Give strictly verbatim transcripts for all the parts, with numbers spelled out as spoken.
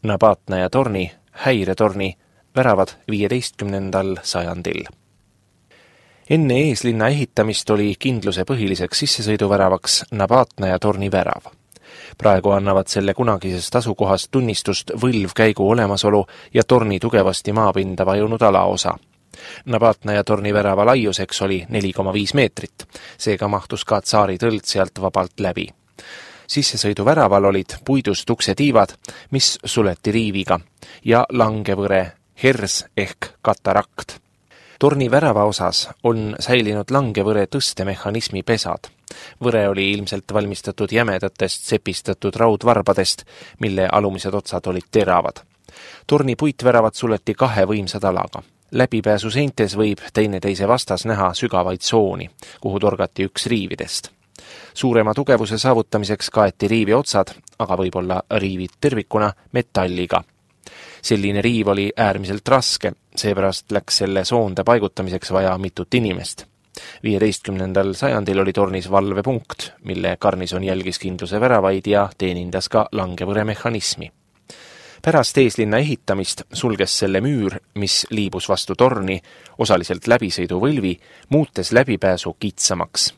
Nabatna ja torni, häiretorni, väravad viieteistkümnendal sajandil. Enne eeslinna ehitamist oli kindluse põhiliseks sissesõiduväravaks Nabatna ja torni värav. Praegu annavad selle kunagisest asukohast tunnistust võlvkäigu olemasolu ja torni tugevasti maapinda vajunud alaosa. Nabatna ja torni värava laiuseks oli neli koma viis meetrit, seega mahtus ka tsaari tõld sealt vabalt läbi. Sissesõiduväraval olid puidust uksetiivad, mis suleti riiviga, ja langevõre, hers ehk katarakt. Torni värava osas on säilinud langevõre tõstemehhanismi pesad. Võre oli ilmselt valmistatud jämedatest sepistatud raudvarbadest, mille alumised otsad olid teravad. Torni puitväravad suleti kahe võimsa talaga. Läbipääsu seintes võib teineteise vastas näha sügavaid sooni, kuhu torgati üks riividest. Suurema tugevuse saavutamiseks kaeti riivi otsad, aga võib-olla riivid tervikuna, metalliga. Selline riiv oli äärmiselt raske, seepärast läks selle soonde paigutamiseks vaja mitut inimest. viieteistkümnendal sajandil oli tornis valvepunkt, mille garnison jälgis kindluse väravaid ja teenindas ka langevõre mehhanismi. Pärast eeslinna ehitamist sulges selle müür, mis liibus vastu torni, osaliselt läbisõiduvõlvi, muutes läbipääsu kitsamaks.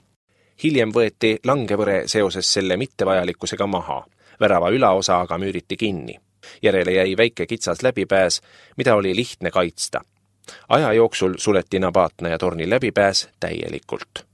Hiljem võeti langevõre seoses selle mittevajalikkusega maha, värava ülaosa aga müüriti kinni. Järele jäi väike kitsas läbipääs, mida oli lihtne kaitsta. Aja jooksul suleti Nabatna ja torni läbipääs täielikult.